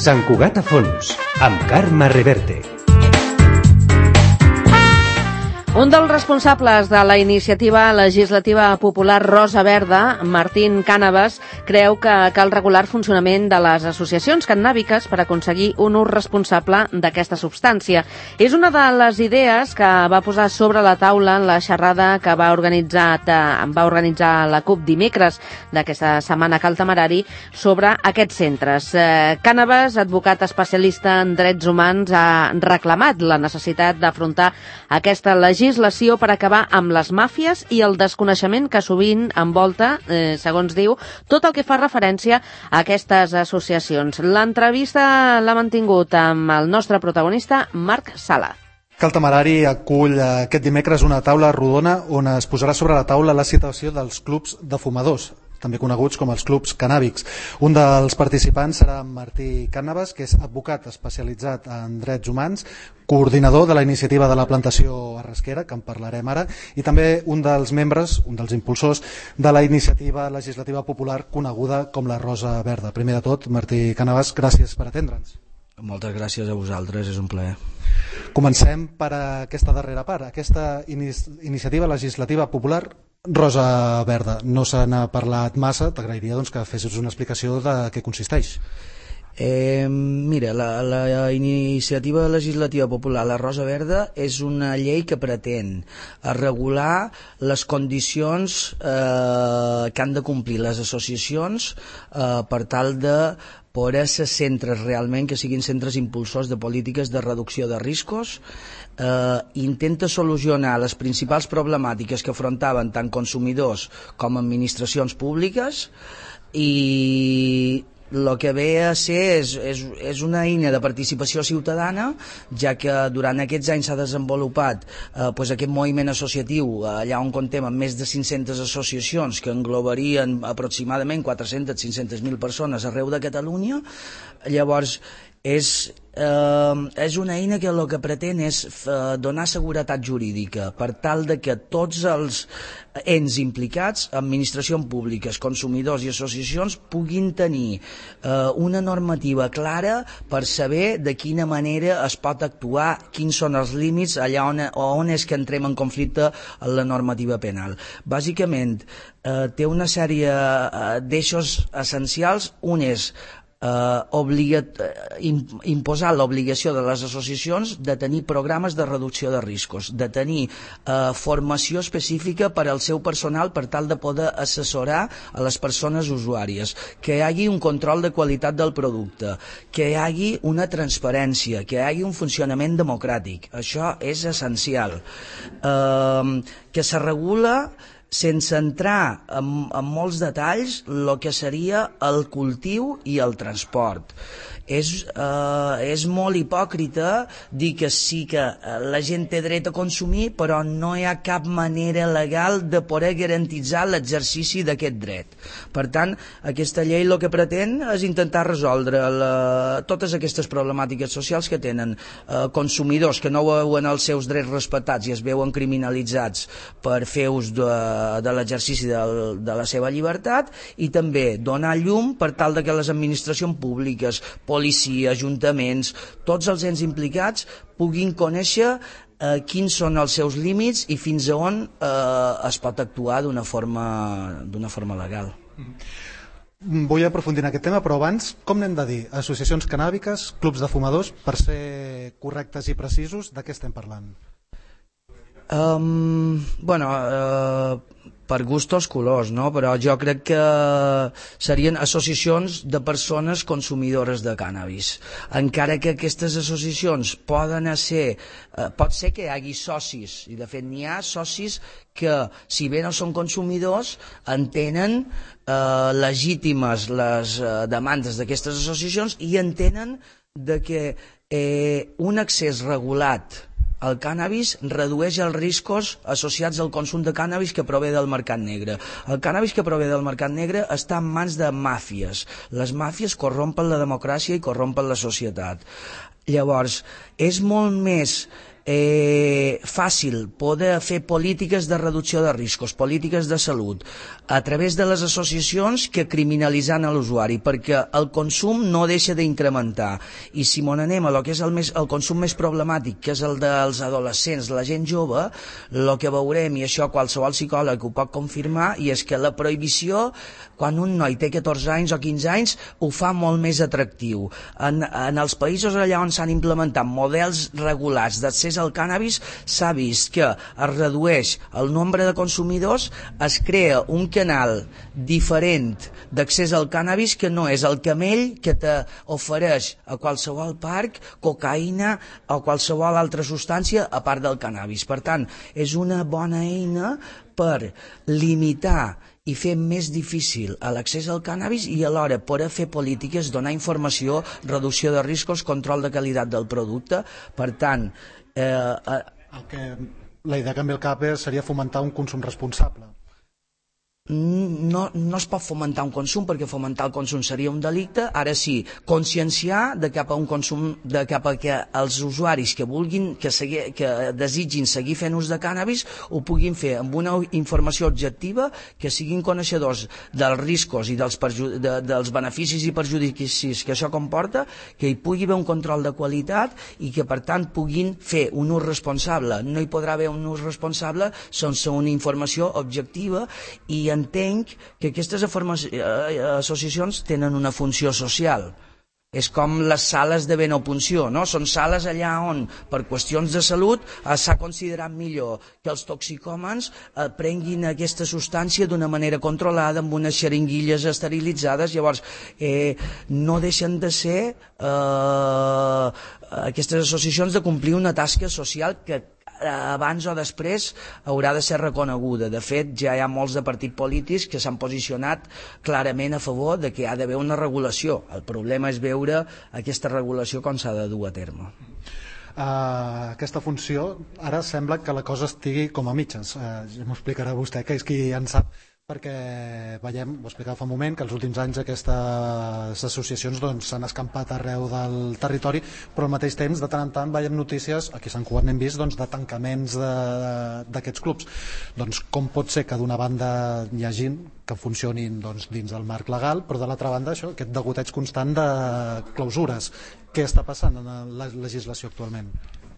Sant Cugat a fons, amb Carme Reverte. Un dels responsables de la iniciativa legislativa popular Rosa Verda, Martín Cànovas, creu que cal regular el funcionament de les associacions cannàbiques per aconseguir un ús responsable d'aquesta substància. És una de les idees que va posar sobre la taula en la xerrada que va organitzar la CUP dimecres d'aquesta setmana Cal Temerari sobre aquests centres. Cànovas, advocat especialista en drets humans, ha reclamat la necessitat d'afrontar aquesta legislació per acabar amb les màfies i el desconeixement que sovint envolta, segons diu, tot el que fa referència a aquestes associacions. L'entrevista l'ha mantingut amb el nostre protagonista, Marc Sala. Cal Temerari acull aquest dimecres una taula rodona on es posarà sobre la taula la situació dels clubs de fumadors, també coneguts com els clubs cannàbics. Un dels participants serà Martí Cànovas, que és advocat especialitzat en drets humans, coordinador de la iniciativa de la plantació a Rasquera, que en parlarem ara, i també un dels membres, un dels impulsors de la iniciativa legislativa popular coneguda com la Rosa Verda. Primer de tot, Martí Cànovas, gràcies per atendre'ns. Moltes gràcies a vosaltres, és un plaer. Comencem per aquesta darrera part, aquesta iniciativa legislativa popular Rosa Verda. No se n'ha parlat massa, t'agrairia que fessis una explicació de què consisteix. Mira, la iniciativa legislativa popular, la Rosa Verda, és una llei que pretén regular les condicions que han de complir les associacions per tal de poder ser centres realment que siguin centres impulsors de polítiques de reducció de riscos. Intenta solucionar les principals problemàtiques que afrontaven tant consumidors com administracions públiques i el que ve a ser és una eina de participació ciutadana, ja que durant aquests anys s'ha desenvolupat aquest moviment associatiu allà on comptem amb més de 500 associacions que englobarien aproximadament 400-500.000 persones arreu de Catalunya. Llavors és una eina que el que pretén és donar seguretat jurídica per tal de que tots els ens implicats, administracions públiques, consumidors i associacions, puguin tenir una normativa clara per saber de quina manera es pot actuar, quins són els límits, allà on és que entrem en conflicte amb la normativa penal. Bàsicament, té una sèrie d'eixos essencials. Un és imposar l'obligació de les associacions de tenir programes de reducció de riscos, de tenir formació específica per al seu personal per tal de poder assessorar a les persones usuàries, que hi hagi un control de qualitat del producte, que hi hagi una transparència, que hi hagi un funcionament democràtic. Això és essencial. Que se regula sense entrar en molts detalls el que seria el cultiu i el transport. És molt hipòcrita dir que sí que la gent té dret a consumir, però no hi ha cap manera legal de poder garantitzar l'exercici d'aquest dret. Per tant, aquesta llei el que pretén és intentar resoldre totes aquestes problemàtiques socials que tenen consumidors que no veuen els seus drets respectats i es veuen criminalitzats per fer ús de l'exercici de la seva llibertat, i també donar llum per tal que les administracions públiques, policia, ajuntaments, tots els ens implicats puguin conèixer quins són els seus límits i fins a on es pot actuar d'una forma legal. Vull aprofundir en aquest tema, però abans, com n'hem de dir? Associacions cannàbiques, clubs de fumadors, per ser correctes i precisos, de què estem parlant? Per gustos colors, no? Però jo crec que serien associacions de persones consumidores de cànnabis. Encara que aquestes associacions pot ser que hi hagi socis, i de fet n'hi ha socis que, si bé no són consumidors, entenen legítimes les demandes d'aquestes associacions i entenen que un accés regulat el cànnabis redueix els riscos associats al consum de cànnabis que prové del mercat negre. El cànnabis que prové del mercat negre està en mans de màfies. Les màfies corrompen la democràcia i corrompen la societat. Llavors, és molt més fàcil poder fer polítiques de reducció de riscos, polítiques de salut, a través de les associacions que criminalitzant a l'usuari, perquè el consum no deixa d'incrementar. I si m'on anem a lo que és el consum més problemàtic, que és el dels adolescents, la gent jove, el que veurem, i això qualsevol psicòleg ho pot confirmar, i és que la prohibició, quan un noi té 14 anys o 15 anys, ho fa molt més atractiu. En els països allà on s'han implementat models regulats d'accés al cànnabis, s'ha vist que es redueix el nombre de consumidors, es crea un canal diferent d'accés al cànnabis que no és el camell que t'ofereix a qualsevol parc cocaïna o qualsevol altra substància a part del cànnabis. Per tant, és una bona eina per limitar i fer més difícil l'accés al cànnabis i alhora poder fer polítiques, donar informació, reducció de riscos, control de qualitat del producte. Per tant, la idea que em ve al cap seria fomentar un consum responsable. No es pot fomentar un consum, perquè fomentar el consum seria un delicte. Ara sí, conscienciar de cap a un consum, de cap a que els usuaris que vulguin, que desitgin seguir fent ús de cànnabis ho puguin fer amb una informació objectiva, que siguin coneixedors dels riscos i dels beneficis i perjudicis que això comporta, que hi pugui haver un control de qualitat i que per tant puguin fer un ús responsable. No hi podrà haver un ús responsable sense una informació objectiva, i entenc que aquestes associacions tenen una funció social. És com les sales de venopunció, no? Són sales allà on, per qüestions de salut, s'ha considerat millor que els toxicòmans prenguin aquesta substància d'una manera controlada, amb unes xeringuilles esterilitzades. Llavors, no deixen de ser aquestes associacions de complir una tasca social que abans o després haurà de ser reconeguda. De fet, ja hi ha molts de partits polítics que s'han posicionat clarament a favor de que hi ha d'haver una regulació. El problema és veure aquesta regulació com s'ha de dur a terme. Aquesta funció, ara sembla que la cosa estigui com a mitges. Ja m'ho explicarà vostè, que és qui en sap, perquè veiem, ho explicava fa un moment, que els últims anys aquestes associacions s'han escampat arreu del territori, però al mateix temps de tant en tant veiem notícies, aquí a Sant Cugat n'hem vist, de tancaments d'aquests clubs. Com pot ser que d'una banda hi hagi que funcionin dins el marc legal, però de l'altra banda això, aquest degoteig constant de clausures? Què està passant en la legislació actualment?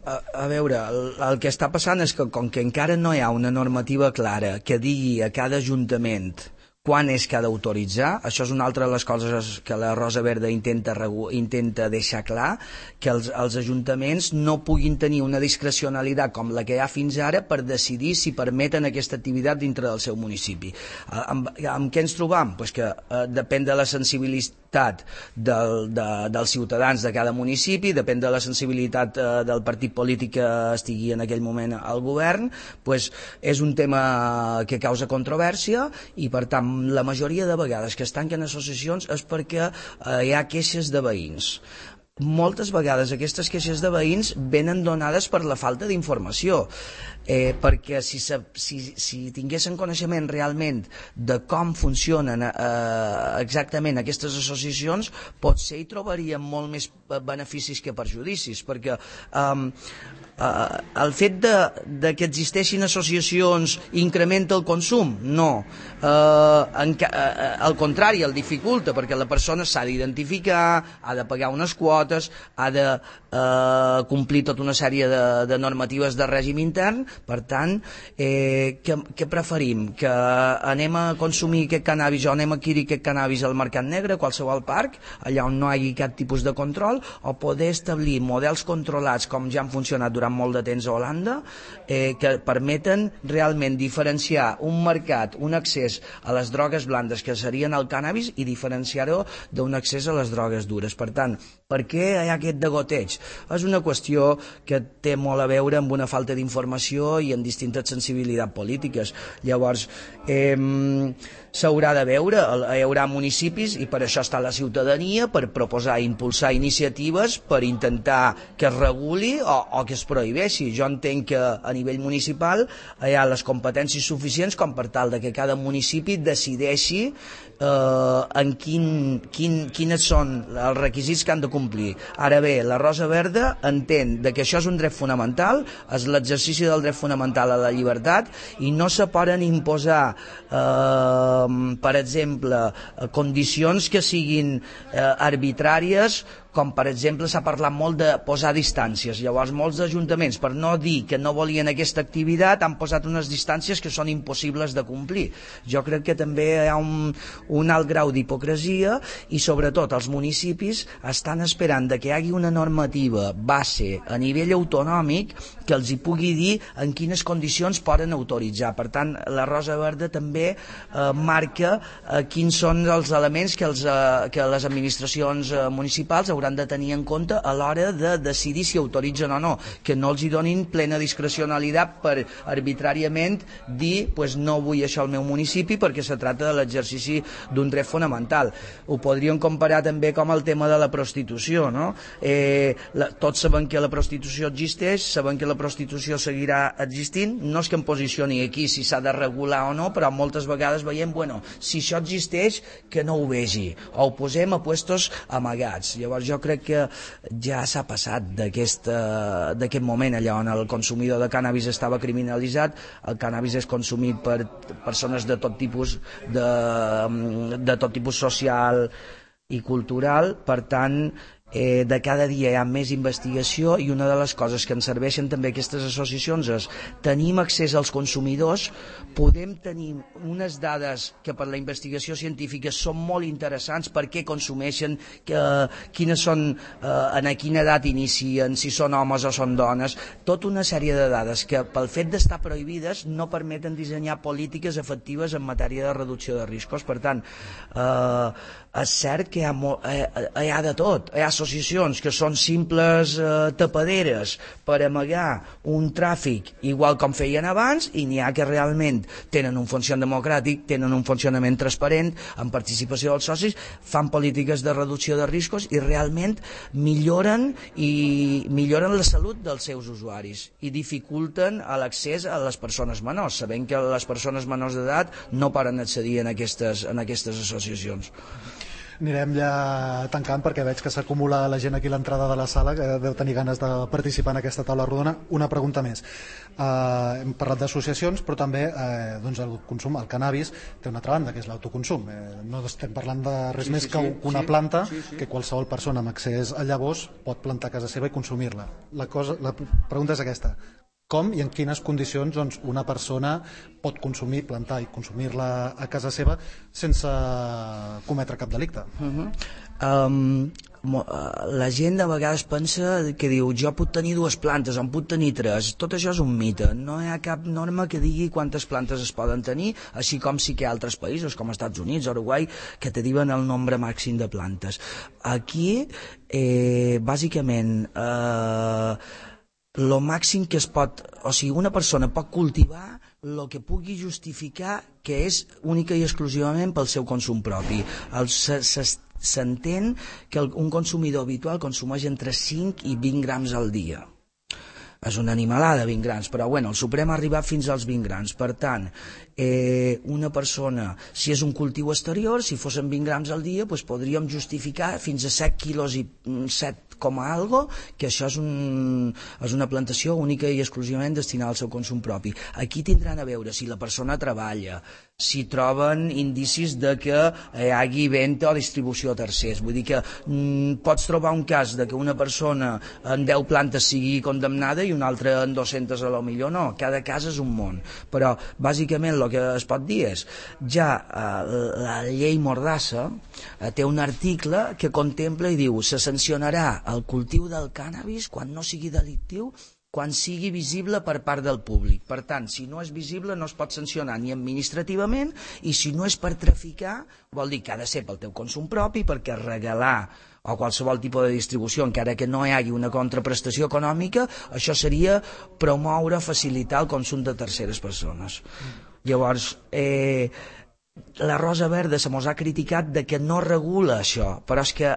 A veure, el que està passant és que com que encara no hi ha una normativa clara que digui a cada ajuntament quan és que ha d'autoritzar, això és una altra de les coses que la Rosa Verda intenta deixar clar, que els ajuntaments no puguin tenir una discrecionalitat com la que hi ha fins ara per decidir si permeten aquesta activitat dintre del seu municipi. Amb què ens trobam? Pues que depèn de la sensibilitat dels ciutadans de cada municipi, depèn de la sensibilitat del partit polític que estigui en aquell moment al govern, pues és un tema que causa controvèrsia, i per tant la majoria de vegades que es tanquen associacions és perquè hi ha queixes de veïns. Moltes vegades aquestes queixes de veïns venen donades per la falta d'informació, perquè si tinguessin coneixement realment de com funcionen exactament aquestes associacions, potser hi trobarien molt més beneficis que perjudicis, perquè el fet que existeixin associacions incrementa el consum? No. Al contrari, el dificulta, perquè la persona s'ha d'identificar, ha de pagar unes quotes, ha de complir tota una sèrie de normatives de règim intern. Per tant, què preferim? Que anem a consumir aquest cannabis o anem a adquirir aquest cannabis al mercat negre, a qualsevol parc, allà on no hi hagi cap tipus de control, o poder establir models controlats com ja han funcionat durant molt de temps a Holanda, que permeten realment diferenciar un mercat, un accés a les drogues blandes que serien el cannabis, i diferenciar-ho d'un accés a les drogues dures. Per tant, per què hi ha aquest degoteig? És una qüestió que té molt a veure amb una falta d'informació i amb distintes sensibilitats polítiques. Llavors, s'haurà de veure, hi haurà municipis, i per això està la ciutadania, per proposar i impulsar iniciatives per intentar que es reguli o que es prohibeixi. Jo entenc que a nivell municipal hi ha les competències suficients com per tal de que cada municipi decideixi en quins són els requisits que han de complir complir. Ara bé, la Rosa Verda entén que això és un dret fonamental, és l'exercici del dret fonamental a la llibertat, i no se poden imposar, per exemple, condicions que siguin arbitràries, com per exemple s'ha parlat molt de posar distàncies. Llavors molts ajuntaments, per no dir que no volien aquesta activitat, han posat unes distàncies que són impossibles de complir. Jo crec que també hi ha un alt grau d'hipocresia, i sobretot els municipis estan esperant que hi hagi una normativa base a nivell autonòmic que els hi pugui dir en quines condicions poden autoritzar. Per tant, la Rosa Verda també marca quins són els elements que les administracions municipals hauran de tenir en compte a l'hora de decidir si autoritzen o no, que no els hi donin plena discrecionalitat per arbitràriament dir pues no vull això al meu municipi perquè se tracta de l'exercici d'un dret fonamental. Ho podríem comparar també com el tema de la prostitució, no? Tots sabem que la prostitució existeix, sabem que la prostitució seguirà existint, no és que em posicioni aquí si s'ha de regular o no, però moltes vegades veiem, bueno, si això existeix, que no ho vegi, o ho posem a puestos amagats. Llavors jo crec que ja s'ha passat d'aquest moment allà on el consumidor de cànnabis estava criminalitzat. El cànnabis és consumit per persones de tot tipus, de tot tipus social i cultural. Per tant, de cada dia hi ha més investigació, i una de les coses que ens serveixen també aquestes associacions és tenim accés als consumidors, podem tenir unes dades que per la investigació científica són molt interessants, per què consumeixen, quines són, en quina edat inicien, si són homes o són dones, tota una sèrie de dades que pel fet d'estar prohibides no permeten dissenyar polítiques efectives en matèria de reducció de riscos. Per tant, és cert que hi ha de tot. Hi ha associacions que són simples tapaderes per amagar un tràfic igual com feien abans, i n'hi ha que realment tenen un funcionament democràtic, tenen un funcionament transparent, amb participació dels socis, fan polítiques de reducció de riscos i realment milloren la salut dels seus usuaris i dificulten l'accés a les persones menors. Sabem que les persones menors d'edat no poden accedir en aquestes associacions. Anirem ja tancant perquè veig que s'acumula la gent aquí a l'entrada de la sala, que deu tenir ganes de participar en aquesta taula rodona. Una pregunta més. Hem parlat d'associacions, però també doncs el consum, el cannabis, té una altra banda, que és l'autoconsum. No estem parlant de res més que una planta que qualsevol persona amb accés a llavors pot plantar a casa seva i consumir-la. La pregunta és aquesta: com i en quines condicions doncs, una persona pot consumir, plantar i consumir-la a casa seva sense cometre cap delicte? La gent de vegades pensa que diu jo puc tenir 2 plantes, en puc tenir 3. Tot això és un mite. No hi ha cap norma que digui quantes plantes es poden tenir, així com sí que hi ha altres països com els Estats Units, Uruguai, que te diuen el nombre màxim de plantes. Aquí, bàsicament, lo màxim que es pot, o sigui, una persona pot cultivar el que pugui justificar que és única i exclusivament pel seu consum propi. S'entén que un consumidor habitual consumeix entre 5 i 20 grams al dia. És una animalada, 20 grams, però bueno, el Suprem ha arribat fins als 20 grams. Per tant, una persona, si és un cultiu exterior, si fossin 20 grams al dia, doncs podríem justificar fins a 7 quilos i 7 com a algo, que això és una plantació única i exclusivament destinada al seu consum propi. Aquí tindran a veure si la persona treballa, si troben indicis de que hi hagi venda o distribució a tercers. Vull dir que pots trobar un cas de que una persona en 10 plantes sigui condemnada i una altra en 200 a lo millor no. Cada cas és un món. Però bàsicament el que es pot dir és ja la llei Mordassa té un article que contempla i diu se sancionarà el cultiu del cànnabis quan no sigui delictiu, quan sigui visible per part del públic. Per tant, si no és visible no es pot sancionar ni administrativament, i si no és per traficar, vol dir que ha de ser pel teu consum propi, perquè regalar o qualsevol tipus de distribució, encara que no hi hagi una contraprestació econòmica, això seria promoure o facilitar el consum de terceres persones. Llavors, la Rosa Verda se mos ha criticat de que no regula això, però és que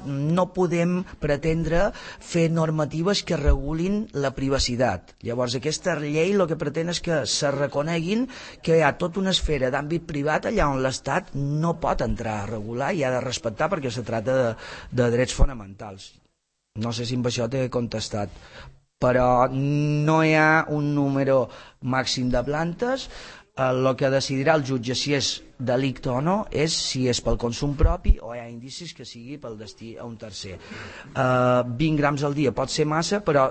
no podem pretendre fer normatives que regulin la privacitat. Llavors aquesta llei el que pretén és que se reconeguin que hi ha tota una esfera d'àmbit privat allà on l'Estat no pot entrar a regular i ha de respectar perquè se trata de drets fonamentals. No sé si amb això t'he contestat, però no hi ha un número màxim de plantes. El que decidirà el jutge si és delicte o no és si és pel consum propi o hi ha indicis que sigui pel destí a un tercer. 20 grams al dia pot ser massa, però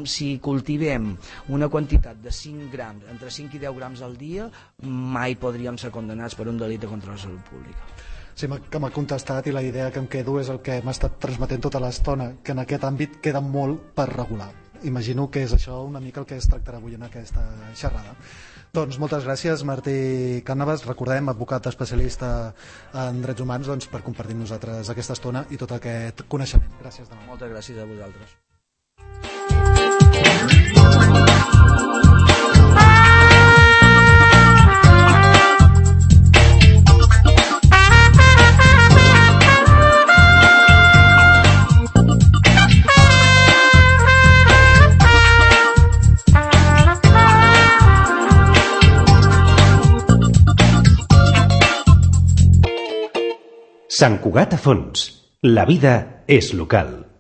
si cultivem una quantitat de 5 grams, entre 5 i 10 grams al dia, mai podríem ser condemnats per un delicte contra la salut pública. Sí, que m'ha contestat i la idea que em quedo és el que m'ha estat transmetent tota l'estona, que en aquest àmbit queda molt per regular. Imagino que és això una mica el que es tractarà avui en aquesta xerrada. Doncs moltes gràcies, Martí Cànovas, recordem, advocat especialista en drets humans, doncs, per compartir amb nosaltres aquesta estona i tot aquest coneixement. Gràcies de nou. Moltes gràcies a vosaltres. Sant Cugat a Fons. La vida és local.